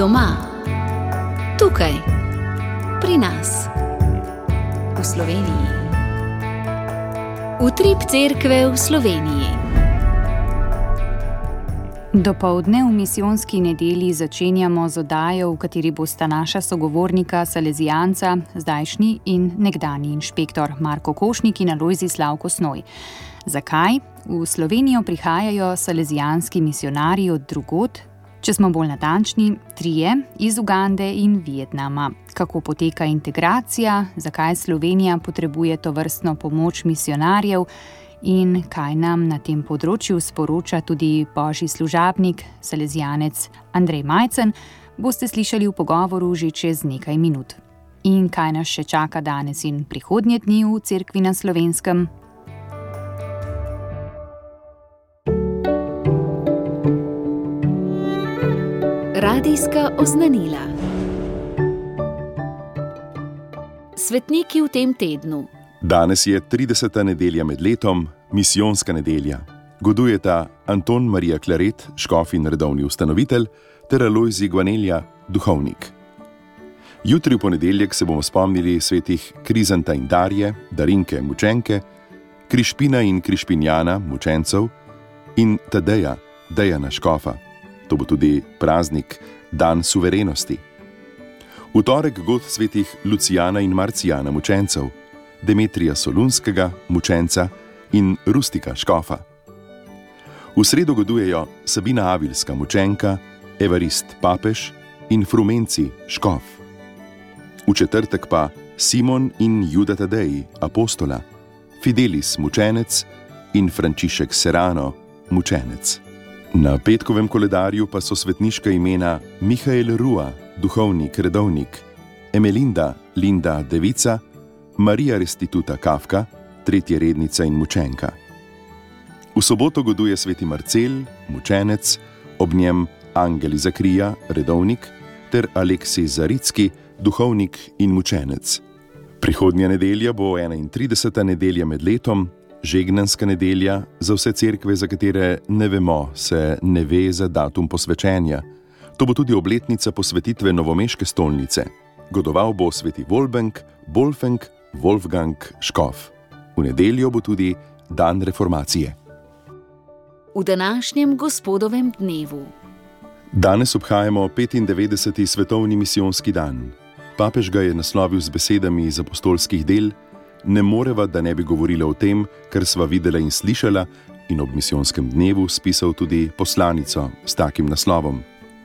Doma, tukaj, pri nas, v Sloveniji. Utrip cerkve v Sloveniji. Dopoldne v misijonski nedelji začenjamo z oddajo, v kateri bosta naša sogovornika salezijanca, zdajšnji in nekdanji inšpektor Marko Košnik in Alojzij Slavko Snoj. Zakaj? V Slovenijo prihajajo salezijanski misijonarji od drugod, če smo bolj natančni, 3 iz Ugande in Vietnama. Kako poteka integracija, zakaj Slovenija potrebuje tovrstno pomoč misijonarjev in kaj nam na tem področju sporoča tudi božji služabnik, salezijanec Andrej Majcen, boste slišali v pogovoru že čez nekaj minut. In kaj nas še čaka danes in prihodnje dni v cerkvi na Slovenskem? Radijska oznanila. Svetniki v tem tednu. Danes je 30. nedelja med letom, misijonska nedelja. Godujeta Anton Marija Claret, škof in redovni ustanovitelj, ter Alojzij Gvanelja, duhovnik. Jutri v ponedeljek se bomo spomnili svetih Krizanta in Darje, Darinke, mučenke, Krišpina in Krišpinjana, mučencev, in Tadeja, Dejana, škofa. To bo tudi praznik, dan suverenosti. V torek god svetih Lucijana in Marcijana, mučencev, Demetrija Solunskega, mučenca, in Rustika, škofa. V sredo godujejo Sabina Avilska, mučenka, Evarist, papež, in Frumenci, škof. V četrtek pa Simon in Juda Tadej, apostola, Fidelis, mučenec, in Frančišek Serrano, mučenec. Na petkovem koledarju pa so svetniška imena Mihael Rua, duhovnik, redovnik, Emelinda, Linda, devica, Marija Restituta Kafka, 3. rednica in mučenka. V soboto goduje sveti Marcel, mučenec, ob njem Angel Zakrija, redovnik, ter Aleksij Zaricki, duhovnik in mučenec. Prihodnja nedelja bo 31. nedelja med letom, žegnanska nedelja, za vse cerkve, za katere ne vemo, se ne ve za datum posvečenja. To bo tudi obletnica posvetitve novomeške stolnice. Godoval bo sveti Wolfgang, Wolfgang, škof. V nedeljo bo tudi dan reformacije. V današnjem gospodovem dnevu. Danes obhajamo 95. svetovni misijonski dan. Papež ga je naslovil z besedami iz apostolskih del: ne moreva, da ne bi govorila o tem, kar sva videla in slišala, in ob misijonskem dnevu spisal tudi poslanico s takim naslovom.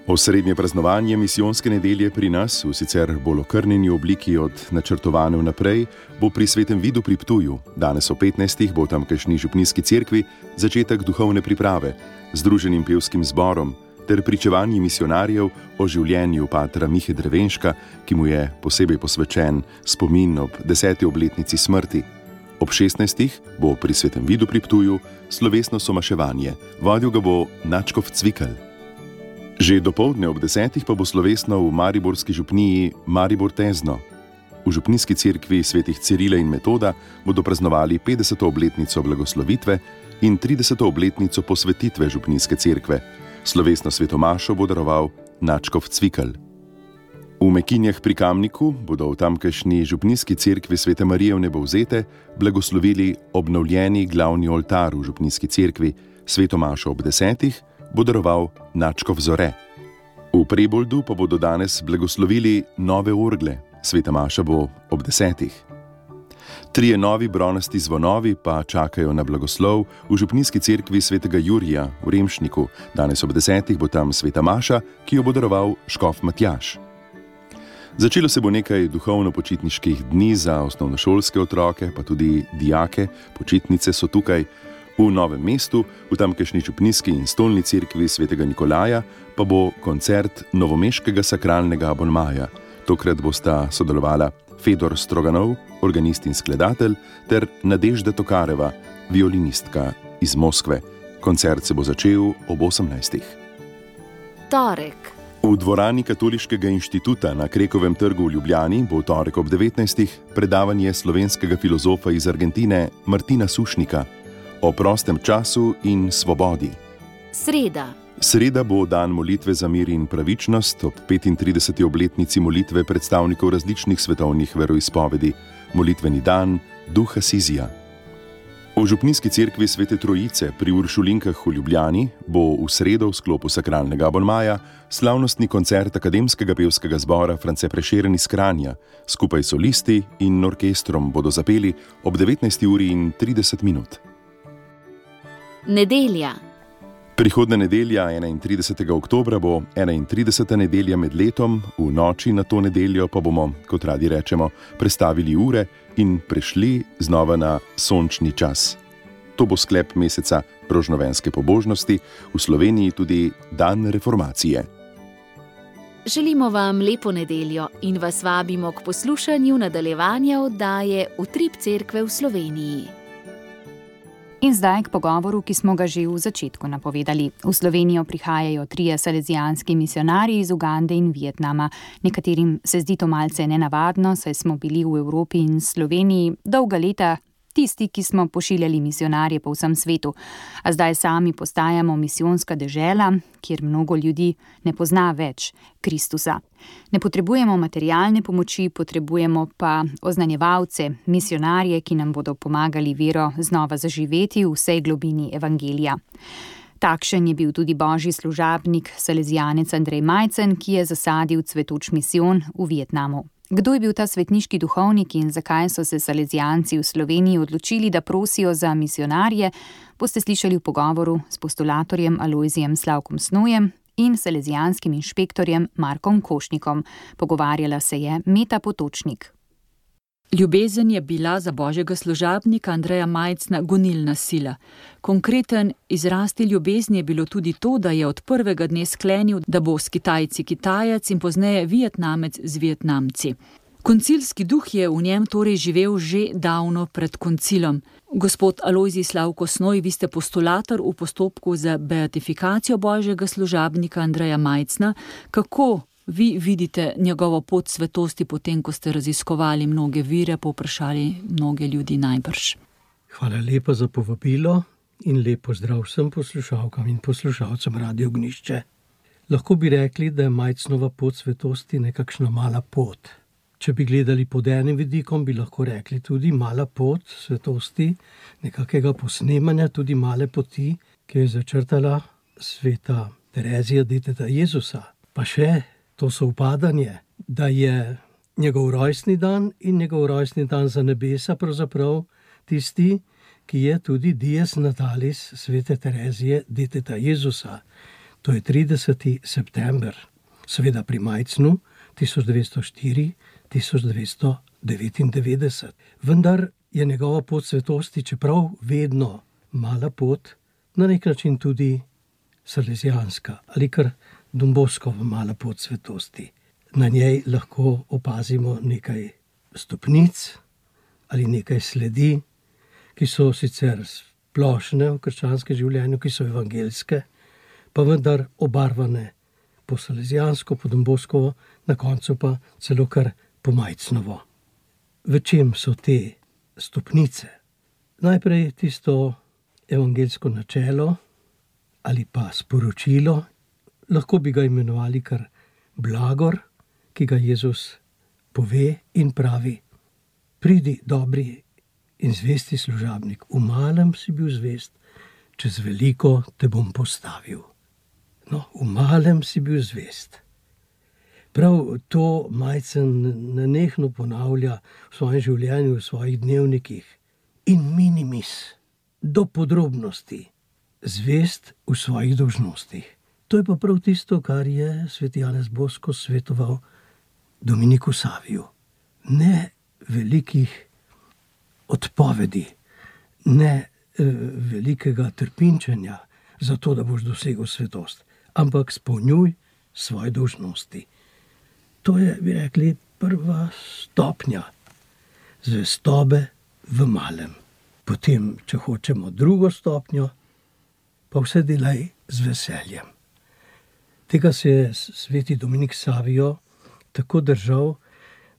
Osrednje praznovanje misijonske nedelje pri nas, v sicer bolj okrnjeni obliki od načrtovane vnaprej, bo pri Svetem Vidu pri Ptuju. Danes o 15. bo v tamkajšnji župnijski cerkvi začetek duhovne priprave z združenim pevskim zborom ter pričevanji misijonarjev o življenju patra Mihe Drevenška, ki mu je posebej posvečen spomin ob 10. obletnici smrti. Ob 16. bo pri Svetem Vidu pri Ptuju slovesno somaševanje. Vodil ga bo nadškof Cvikl. Že dopoldne ob 10. pa bo slovesno v mariborski župniji Maribor Tezno. V župnijski cerkvi svetih Cirila in Metoda bodo praznovali 50. obletnico blagoslovitve in 30. obletnico posvetitve župnijske cerkve. Slovesno svetomašo bo daroval nadškof Cvikl. V Mekinjah pri Kamniku bodo v tamkajšnji župnijski cerkvi Svete Marije Vnebovzete blagoslovili obnovljeni glavni oltar v župnijski cerkvi. Svetomašo ob 10. bo daroval nadškof Zore. V Preboldu pa bodo danes blagoslovili nove orgle. Sveta maša bo ob 10. 3 novi bronasti zvonovi pa čakajo na blagoslov v župnijski cerkvi svetega Jurija v Remšniku. Danes ob 10. bo tam sveta maša, ki jo bo daroval škof Matjaž. Začelo se bo nekaj duhovno-počitniških dni za osnovnošolske otroke, pa tudi dijake. Počitnice so tukaj. V Novem mestu, v tamkajšnji župnijski in stolni cerkvi svetega Nikolaja, pa bo koncert novomeškega sakralnega abonmaja. Tokrat bosta sodelovala Fedor Stroganov, organist in skladatelj, ter Nadežda Tokareva, violinistka iz Moskve. Koncert se bo začel ob 18. Torek. V dvorani Katoliškega inštituta na Krekovem trgu v Ljubljani bo torek ob 19. predavanje slovenskega filozofa iz Argentine Martina Sušnika o prostem času in svobodi. Sreda. Sreda bo dan molitve za mir in pravičnost ob 35. obletnici molitve predstavnikov različnih svetovnih veroizpovedi, molitveni dan Duha Sizija. V župnijski cerkvi Svete Trojice pri Uršulinkah v Ljubljani bo v sredo v sklopu sakralnega abonmaja slavnostni koncert Akademskega pevskega zbora France Prešeren iz Kranja. Skupaj s solisti in orkestrom bodo zapeli ob 19:30. Nedelja. Prihodnja nedelja, 31. oktobra, bo 31. nedelja med letom, v noči na to nedeljo pa bomo, kot radi rečemo, prestavili ure in prešli znova na sončni čas. To bo sklep meseca rožnovenske pobožnosti, v Sloveniji tudi dan reformacije. Želimo vam lepo nedeljo in vas vabimo k poslušanju nadaljevanja oddaje Utrip cerkve v Sloveniji. In zdaj k pogovoru, ki smo ga že v začetku napovedali. V Slovenijo prihajajo 3 salezijanski misionarji iz Ugande in Vietnama. Nekaterim se zdi to malce nenavadno, saj smo bili v Evropi in Sloveniji dolga leta tisti, ki smo pošiljali misionarje po vsem svetu. A zdaj sami postajamo misijonska dežela, kjer mnogo ljudi ne pozna več Kristusa. Ne potrebujemo materialne pomoči, potrebujemo pa oznanjevalce, misionarje, ki nam bodo pomagali vero znova zaživeti v vsej globini evangelija. Takšen je bil tudi božji služabnik, salezijanec Andrej Majcen, ki je zasadil cvetoč misijon v Vietnamu. Kdo je bil ta svetniški duhovnik in zakaj so se salezijanci v Sloveniji odločili, da prosijo za misionarje, boste slišali v pogovoru s postulatorjem Alojzijem Slavkom Snojem in salezijanskim inšpektorjem Markom Košnikom. Pogovarjala se je Meta Potočnik. Ljubezen je bila za božjega služabnika Andreja Majcna gonilna sila. Konkreten izraz te ljubezni je bilo tudi to, da je od prvega dne sklenil, da bo s Kitajci Kitajec in pozneje Vietnamec z Vietnamci. Koncilski duh je v njem torej živel že davno pred koncilom. Gospod Alojzij Slavko Snoj, vi ste postulator v postopku za beatifikacijo božjega služabnika Andreja Majcna. Kako vi vidite njegovo pot svetosti, potem ko ste raziskovali mnoge vire, povprašali mnoge ljudi najbrž? Hvala lepa za povabilo in lepo zdrav vsem poslušalkam in poslušalcem Radio Ognišče. Lahko bi rekli, da je Majcnova pot svetosti nekakšna mala pot. Če bi gledali pod enim vidikom, bi lahko rekli tudi mala pot svetosti, nekakega posnemanja, tudi male poti, ki je začrtala sveta Terezija, deteta Jezusa. Pa še to sovpadanje, da je njegov rojstni dan in njegov rojstni dan za nebesa pravzaprav tisti, ki je tudi dies natalis svete Terezije, deteta Jezusa. To je 30. september, seveda pri Majcnu 1904-1999. Vendar je njegova pot svetosti, čeprav vedno mala pot, na nek način tudi salezijanska ali kar Domboskova mala pot svetosti. Na njej lahko opazimo nekaj stopnic ali nekaj sledi, ki so sicer splošne v krščanskem življenju, ki so evangeljske, pa vendar obarvane po salezijansko, po Domboskovo, na koncu pa celo kar po Majcnovo. V čem so te stopnice? Najprej tisto evangeljsko načelo ali pa sporočilo, lahko bi ga imenovali kar blagor, ki ga Jezus pove in pravi: pridi, dobri in zvesti služabnik, v malem si bil zvest, čez veliko te bom postavil. No, v malem si bil zvest. Prav to Majcen nenehno ponavlja v svojem življenju, v svojih dnevnikih. In minimis, do podrobnosti, zvest v svojih dolžnostih. To je pa prav tisto, kar je sveti Janez Bosko svetoval Dominiku Saviju. Ne velikih odpovedi, ne velikega trpinčenja za to, da boš dosegel svetost, ampak spolnjuj svoje dolžnosti. To je, bi rekli, prva stopnja zvestobe v malem. Potem, če hočemo drugo stopnjo, pa vse delaj z veseljem. Tega se je sveti Dominik Savijo tako držal,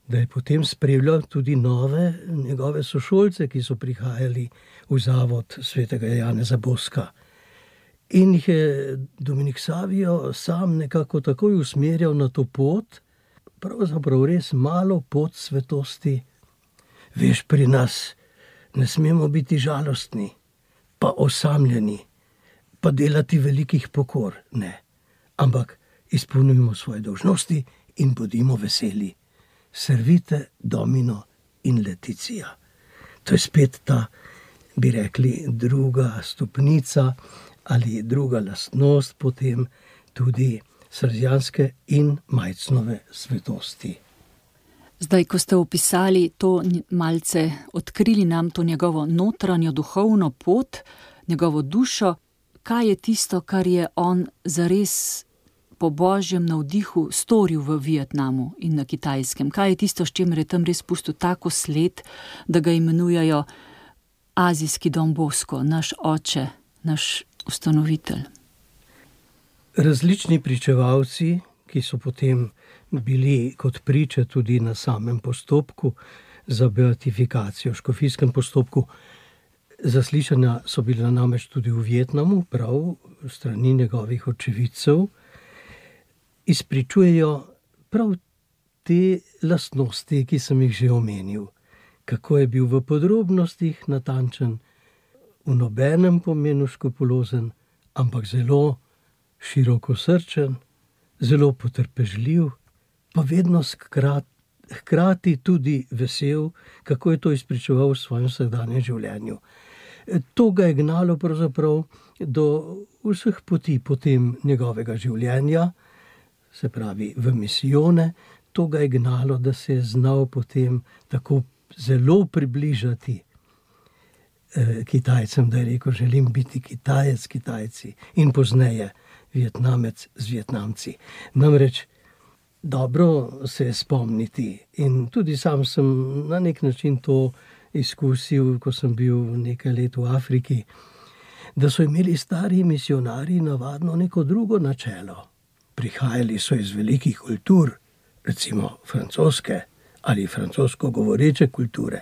da je potem spremljal tudi nove njegove sošolce, ki so prihajali v zavod svetega Janeza Boska. In jih je Dominik Savio sam nekako takoj usmerjal na to pot, pravzaprav res malo pot svetosti. Veš, pri nas ne smemo biti žalostni, pa osamljeni, pa delati velikih pokor, ne. Ampak izpolnjujemo svoje dolžnosti in bodimo veseli. Servite Domino in Leticia. To je spet ta, bi rekli, druga stopnica ali druga lastnost potem tudi salezijanske in Majcnove svetosti. Zdaj, ko ste opisali to malce, odkrili nam to njegovo notranjo duhovno pot, njegovo dušo, kaj je tisto, kar je on zares po božjem navdihu storil v Vietnamu in na Kitajskem? Kaj je tisto, s čimer je tam res pustil tako sled, da ga imenujejo azijski Don Bosco, naš oče, naš ustanovitelj? Različni pričevalci, ki so potem bili kot priče tudi na samem postopku za beatifikacijo, škofijskem postopku, zaslišanja so bila namreč tudi v Vietnamu, prav strani njegovih očividcev, izpričujejo prav te lastnosti, ki sem jih že omenil. Kako je bil v podrobnostih natančen, v nobenem pomenu škopulozen, ampak zelo širokosrčen, zelo potrpežljiv, pa vedno hkrati tudi vesel, kako je to izpričeval v svojem vsakdanjem življenju. To ga je gnalo pravzaprav do vseh poti potem njegovega življenja, se pravi v misijone, to ga je gnalo, da se je znal potem tako zelo približati Kitajcem, da je rekel, želim biti Kitajec s Kitajci in pozneje Vietnamec z Vietnamci. Namreč dobro se je spomniti in tudi sam sem na nek način to izkusil, ko sem bil nekaj let v Afriki, da so imeli stari misionarji navadno neko drugo načelo. Prihajali so iz velikih kultur, recimo francoske ali francosko govoreče kulture,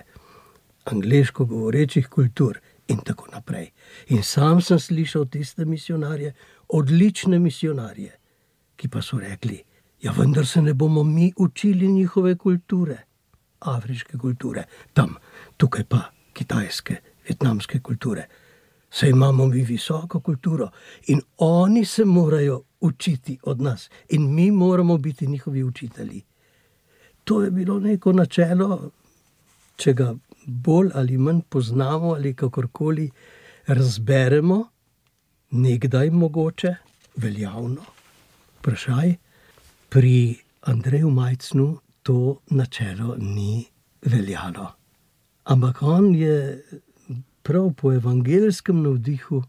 angleško govorečih kultur in tako naprej. In sam sem slišal tiste misionarje, odlične misionarje, ki pa so rekli, ja, vendar se ne bomo mi učili njihove kulture, afriške kulture, tam, tukaj pa kitajske, vietnamske kulture. Saj imamo mi visoko kulturo in oni se morajo učiti od nas in mi moramo biti njihovi učitelji. To je bilo neko načelo, če ga bolj ali manj poznamo ali kakorkoli razberemo, nekdaj mogoče, veljavno. Vprašaj, pri Andreju Majcnu to načelo ni veljalo. Ampak on je prav po evangelskem navdihu,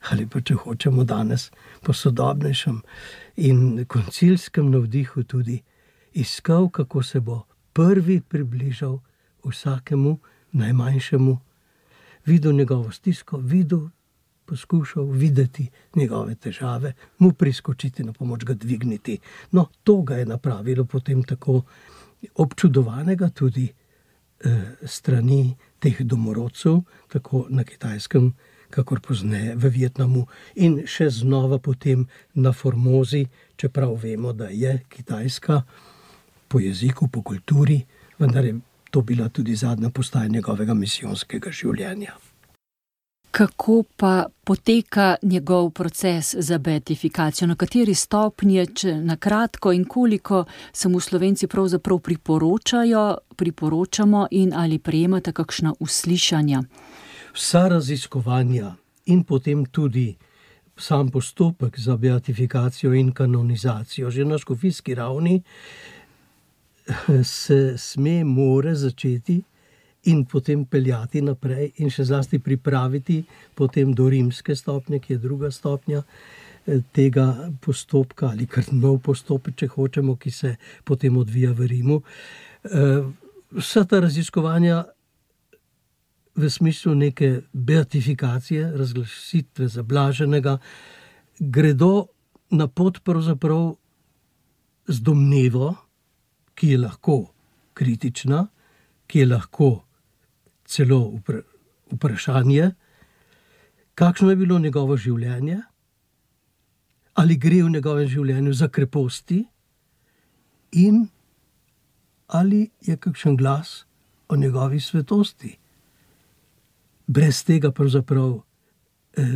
ali pa če hočemo danes po sodobnejšem in koncilskem navdihu tudi, iskal, kako se bo prvi približal vsakemu najmanjšemu, videl njegovo stisko, poskušal videti njegove težave, mu priskočiti na pomoč, ga dvigniti. No, to ga je napravilo potem tako občudovanega tudi strani teh domorodcev, tako na Kitajskem, kakor pozneje v Vietnamu in še znova potem na Formozi, čeprav vemo, da je Kitajska po jeziku, po kulturi, vendar je to bila tudi zadnja postaja njegovega misijonskega življenja. Kako pa poteka njegov proces za beatifikacijo? Na kateri stopnji, če na kratko in koliko se mu Slovenci pravzaprav priporočamo in ali prejemate kakšna uslišanja? Vsa raziskovanja in potem tudi sam postopek za beatifikacijo in kanonizacijo že na škofijski ravni se more začeti in potem peljati naprej in še zlasti pripraviti potem do rimske stopnje, ki je druga stopnja tega postopka, ali kar nov postopek, če hočemo, ki se potem odvija v Rimu. Vsa ta raziskovanja v smislu neke beatifikacije, razglasitve za blaženega, gredo na pot pravzaprav z domnevo, ki je lahko kritična, ki je lahko celo vprašanje, kakšno je bilo njegovo življenje, ali gre v njegovem življenju za kreposti in ali je kakšen glas o njegovi svetosti. Brez tega pravzaprav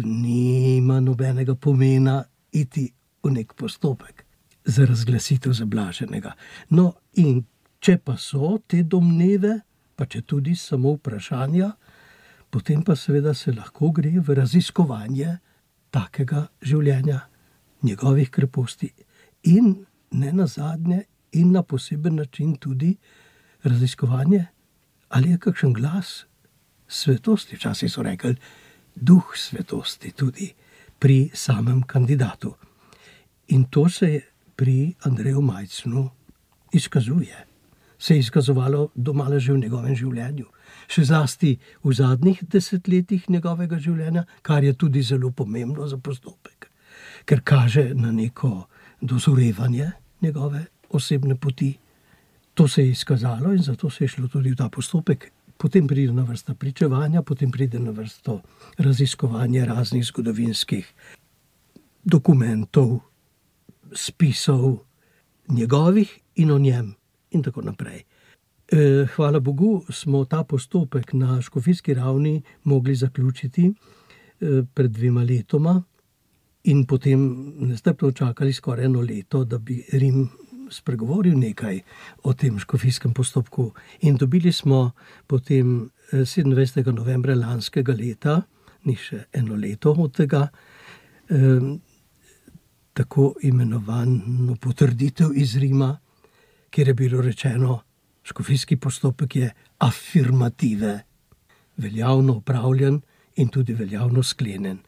nima nobenega pomena iti v nek postopek za razglasitev za blaženega. No, in če pa so te domneve, pa če tudi samo vprašanja, potem pa seveda se lahko gre v raziskovanje takega življenja, njegovih kreposti in ne nazadnje in na poseben način tudi raziskovanje, ali je kakšen glas svetosti, včasih so rekli duh svetosti tudi pri samem kandidatu. In to se pri Andreju Majcnu izkazuje. Se je izkazovalo domala že v njegovem življenju. Še zlasti v zadnjih desetletjih njegovega življenja, kar je tudi zelo pomembno za postopek, ker kaže na neko dozorevanje njegove osebne poti. To se je izkazalo in zato se je šlo tudi v ta postopek. Potem pride na vrsta pričevanja, potem pride na vrsto raziskovanje raznih zgodovinskih dokumentov, spisov njegovih in o njem in tako naprej. Hvala Bogu smo ta postopek na škofijski ravni mogli zaključiti pred 2 letoma in potem nestrpno čakali skoraj 1 leto, da bi Rim spregovoril nekaj o tem škofijskem postopku. In dobili smo potem 27. novembra lanskega leta, ni še 1 leto od tega, tako imenovano potrditev iz Rima, kjer je bilo rečeno, škofijski postopek je afirmative, veljavno opravljen in tudi veljavno sklenjen.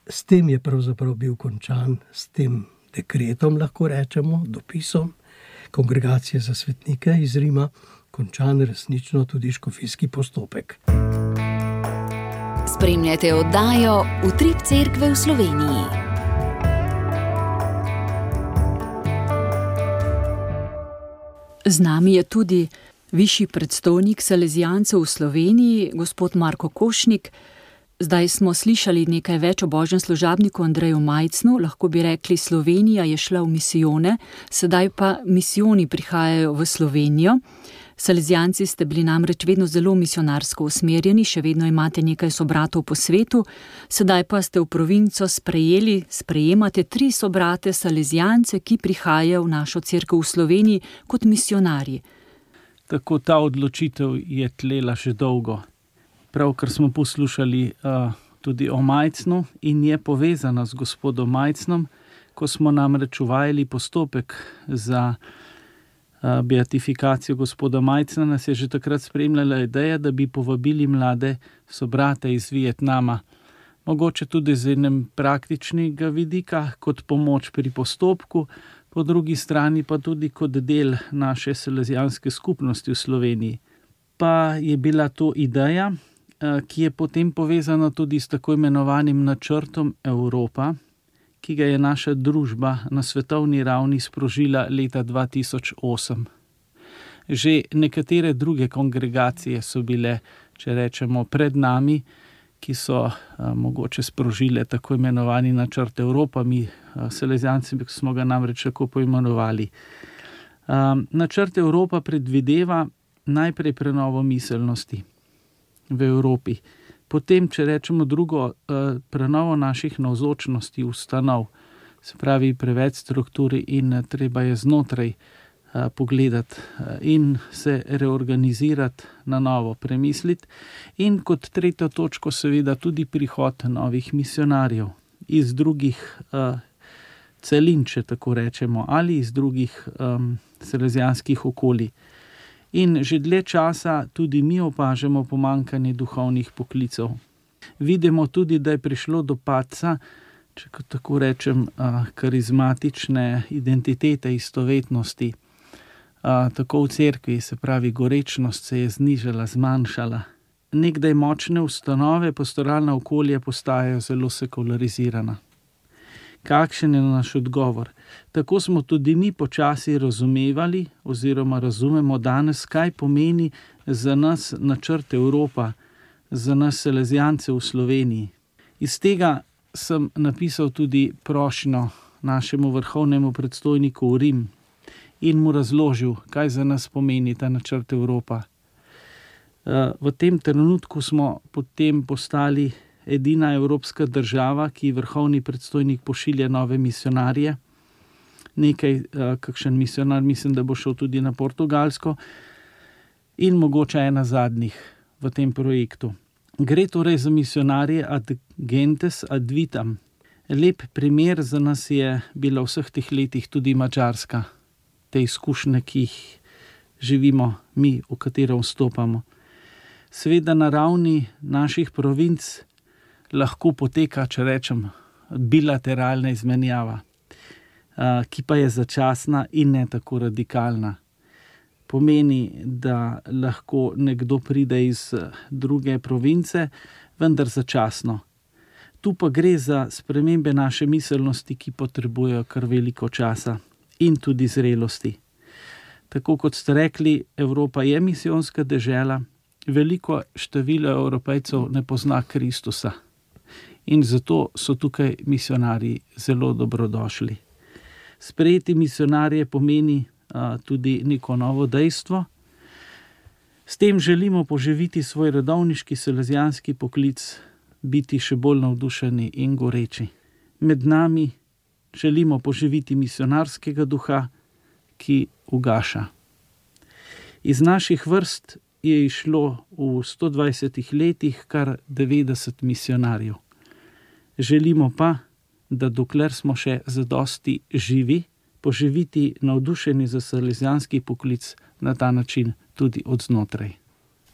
S tem je pravzaprav bil končan, s tem dekretom, lahko rečemo, dopisom Kongregacije za svetnike iz Rima, končan resnično tudi škofijski postopek. Spremljate oddajo Utrip cerkve v Sloveniji. Z nami je tudi višji predstojnik salezijancev v Sloveniji, gospod Marko Košnik. Zdaj smo slišali nekaj več o božjem služabniku Andreju Majcnu, lahko bi rekli, Slovenija je šla v misijone, sedaj pa misijoni prihajajo v Slovenijo. Salezijanci ste bili namreč vedno zelo misionarsko usmerjeni, še vedno imate nekaj sobratov po svetu, sedaj pa ste v provinco sprejemate 3 sobrate salezijance, ki prihajajo v našo cerkev v Sloveniji kot misionarji. Tako ta odločitev je tlela že dolgo. Pravkar smo poslušali tudi o Majcnu in je povezana z gospodom Majcnom, ko smo namreč uvajali postopek za beatifikacijo gospoda Majcna, nas je že takrat spremljala ideja, da bi povabili mlade sobrate iz Vietnama. Mogoče tudi z enem praktičnega vidika, kot pomoč pri postopku, po drugi strani pa tudi kot del naše salezijanske skupnosti v Sloveniji. Pa je bila to ideja, ki je potem povezana tudi s tako imenovanim načrtom Evropa, ki ga je naša družba na svetovni ravni sprožila leta 2008. Že nekatere druge kongregacije so bile, če rečemo, pred nami, ki so mogoče sprožile tako imenovani načrt Evropa, mi salezijanci smo ga namreč tako poimenovali. Načrt Evropa predvideva najprej prenovo miselnosti v Evropi, potem, če rečemo drugo, prenovo naših navzočnosti ustanov, se pravi preveč strukturi in treba je znotraj pogledati in se reorganizirati, na novo premisliti. In kot 3. točko seveda tudi prihod novih misionarjev iz drugih celin, če tako rečemo, ali iz drugih salezijanskih okolij. In že dlje časa tudi mi opažamo pomanjkanje duhovnih poklicev. Vidimo tudi, da je prišlo do padca, če tako rečem, karizmatične identitete, istovetnosti. Tako v cerkvi, se pravi, gorečnost se je znižala, zmanjšala. Nekdaj močne ustanove, pastoralna okolja postajajo zelo sekularizirana. Kakšen je naš odgovor? Tako smo tudi mi počasi razumevali oziroma razumemo danes, kaj pomeni za nas načrt Evropa, za nas salezijance v Sloveniji. Iz tega sem napisal tudi prošnjo našemu vrhovnemu predstojniku v Rim in mu razložil, kaj za nas pomeni ta načrt Evropa. V tem trenutku smo potem postali edina evropska država, ki vrhovni predstojnik pošilja nove misionarje. Kakšen misionar, mislim, da bo šel tudi na Portugalsko in mogoče ena zadnjih v tem projektu. Gre torej za misionarje ad gentes ad vitam. Lep primer za nas je bila vseh teh letih tudi Madžarska. Te izkušnje, ki jih živimo mi, v katero vstopamo. Seveda na ravni naših provinc lahko poteka, če rečem, bilateralna izmenjava, ki pa je začasna in ne tako radikalna. Pomeni, da lahko nekdo pride iz druge province, vendar začasno. Tu pa gre za spremembe naše miselnosti, ki potrebujejo kar veliko časa in tudi zrelosti. Tako kot ste rekli, Evropa je misijonska dežela, veliko število Evropejcev ne pozna Kristusa in zato so tukaj misionarji zelo dobrodošli. Sprejeti misionarje pomeni tudi neko novo dejstvo. S tem želimo poživiti svoj redovniški salezijanski poklic, biti še bolj navdušeni in goreči. Med nami želimo poživiti misionarskega duha, ki ugaša. Iz naših vrst je išlo v 120 letih kar 90 misionarjev. Želimo pa, da dokler smo še zadosti živi, poživiti navdušeni za salezijanski poklic na ta način tudi od znotraj.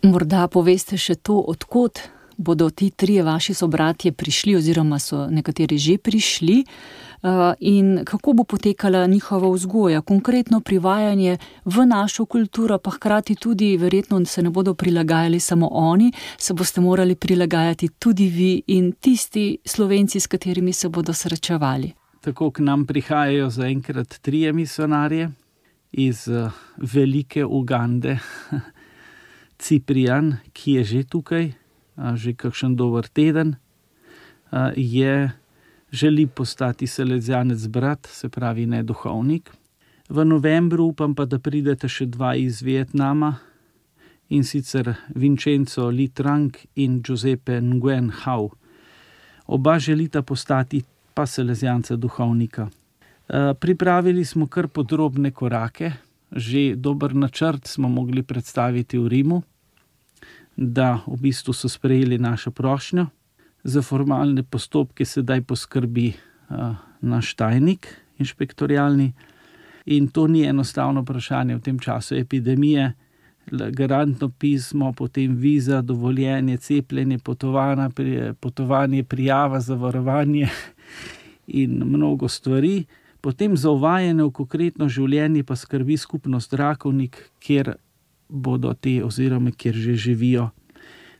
Morda poveste še to, od kod bodo ti trije vaši sobratje prišli oziroma so nekateri že prišli in kako bo potekala njihova vzgoja, konkretno privajanje v našo kulturo, pa hkrati tudi verjetno se ne bodo prilagajali samo oni, se boste morali prilagajati tudi vi in tisti Slovenci, s katerimi se bodo srečevali. Tako k nam prihajajo zaenkrat 3 misionarje iz velike Ugande, Ciprian, ki je že tukaj, že kakšen dober teden, želi postati salezijanec brat, se pravi ne duhovnik. V novembru upam pa, da pridete še 2 iz Vietnama, in sicer Vincenzo Li Trang in Giuseppe Nguyen Hau. Oba želita postati pa salezijanca duhovnika. Pripravili smo kar podrobne korake, že dober načrt smo mogli predstaviti v Rimu, da v bistvu so sprejeli našo prošnjo. Za formalne postopke sedaj poskrbi naš tajnik inšpektorialni in to ni enostavno vprašanje v tem času epidemije. Garantno pismo, potem viza, dovoljenje, cepljenje, potovanje, prijava, zavarovanje in mnogo stvari. Potem za uvajanje v konkretno življenje pa skrbi skupnost Rakovnik, kjer bodo te oziroma kjer že živijo.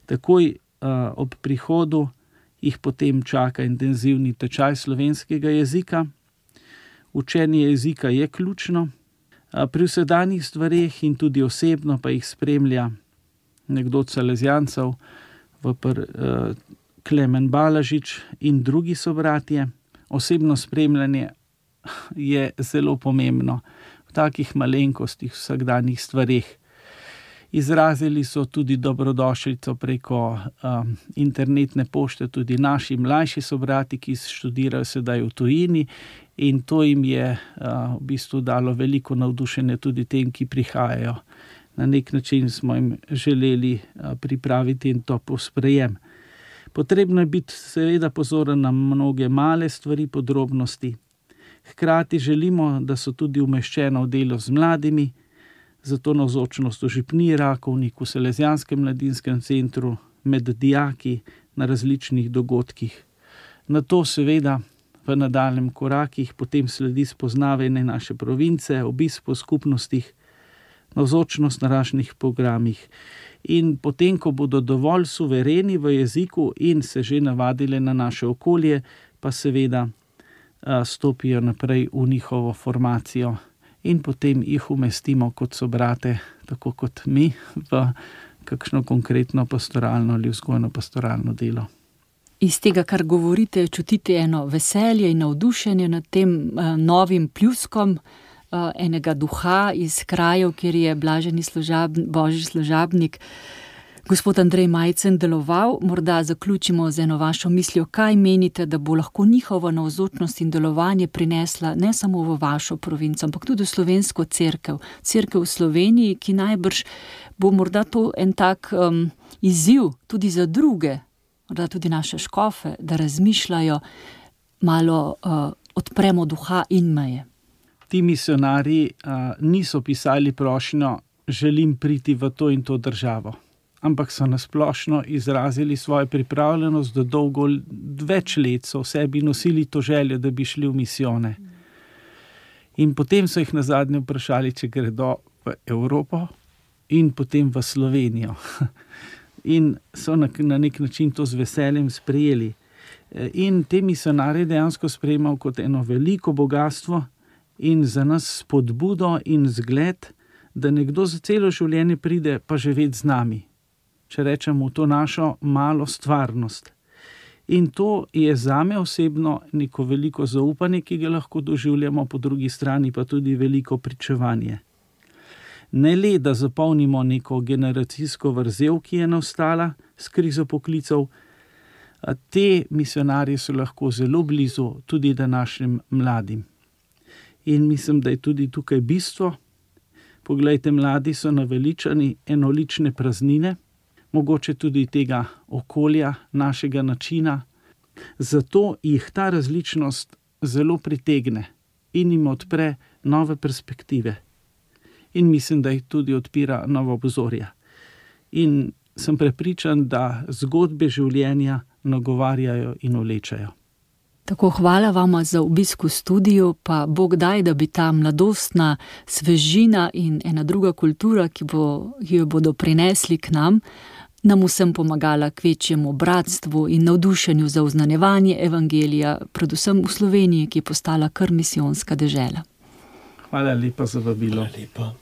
Takoj ob prihodu jih potem čaka intenzivni tečaj slovenskega jezika. Učenje jezika je ključno. Pri vsedanjih stvareh in tudi osebno pa jih spremlja nekdo od salezijancev, Klemen Balažič in drugi sobratje. Osebno spremljanje je zelo pomembno v takih malenkostih, vsakdanjih stvareh. Izrazili so tudi dobrodošlico preko internetne pošte tudi naši mlajši sobrati, ki študirajo sedaj v tujini in to jim je v bistvu dalo veliko navdušenja tudi tem, ki prihajajo. Na nek način smo jim želeli pripraviti en topel sprejem. Potrebno je biti seveda pozoren na mnoge male stvari, podrobnosti. Hkrati želimo, da so tudi umeščeno v delo z mladimi, zato navzočnost v župniji Rakovnik, v Salezijanskem mladinskem centru, med dijaki na različnih dogodkih. Na to seveda v nadaljnjem korakih potem sledi spoznavanje naše province, obisk po skupnostih, navzočnost na različnih programih. In potem, ko bodo dovolj suvereni v jeziku in se že navadili na naše okolje, pa seveda stopijo naprej v njihovo formacijo in potem jih umestimo kot sobrate, tako kot mi, v kakšno konkretno pastoralno ali vzgojno pastoralno delo. Iz tega, kar govorite, čutite eno veselje in navdušenje nad tem novim pljuskom enega duha iz krajev, kjer je blaženi božji služabnik gospod Andrej Majcen deloval. Morda zaključimo z eno vašo mislijo, kaj menite, da bo lahko njihova navzočnost in delovanje prinesla ne samo v vašo provinco, ampak tudi v slovensko cerkev v Sloveniji, ki najbrž bo morda to en tak izziv tudi za druge, morda tudi naše škofe, da razmišljajo, malo odpremo duha in meje. Ti misionarji niso pisali prošnjo, želim priti v to in to državo, ampak so nasplošno izrazili svojo pripravljenost, da dolgo, več let so v sebi nosili to željo, da bi šli v misijone. In potem so jih nazadnje vprašali, če gredo v Evropo in potem v Slovenijo. In so na nek način to z veseljem sprejeli. In te misionarje dejansko sprejemajo kot eno veliko bogatstvo in za nas spodbudo in zgled, da nekdo za celo življenje pride pa živeti z nami. Če rečemo to našo malo stvarnost. In to je zame osebno neko veliko zaupanje, ki ga lahko doživljamo, po drugi strani pa tudi veliko pričevanje. Ne le, da zapolnimo neko generacijsko vrzel, ki je nastala s krizo poklicev, te misionarji so lahko zelo blizu tudi današnjim mladim. In mislim, da je tudi tukaj bistvo. Poglejte, mladi so naveličani enolične praznine, mogoče tudi tega okolja, našega načina. Zato jih ta različnost zelo pritegne in jim odpre nove perspektive. In mislim, da jih tudi odpira nova obzorja. In sem prepričan, da zgodbe življenja nagovarjajo in vlečajo. Tako, hvala vama za obisk v studiu, pa Bog daj, da bi ta mladostna svežina in ena druga kultura, ki jo bodo prinesli k nam vsem pomagala k večjemu bratstvu in navdušenju za oznanjevanje evangelija, predvsem v Sloveniji, ki je postala kar misijonska dežela. Hvala lepa za vabilo. Hvala lepa.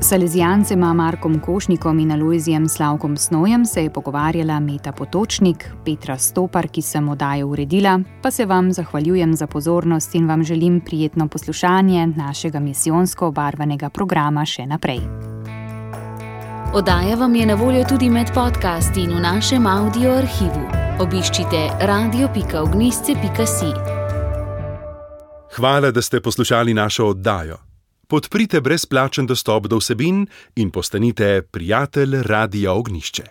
S salezijancema Markom Košnikom in Alojzijem Slavkom Snojem se je pogovarjala Meta Potočnik, Petra Stopar, ki sem oddajo uredila, pa se vam zahvaljujem za pozornost in vam želim prijetno poslušanje našega misijonsko obarvanega programa še naprej. Oddaja vam je na voljo tudi med podcasti in v našem audio arhivu. Obiščite radio.ognisce.si. Hvala, da ste poslušali našo oddajo. Podprite brezplačen dostop do vsebin in postanite prijatelj Radia Ognjišče.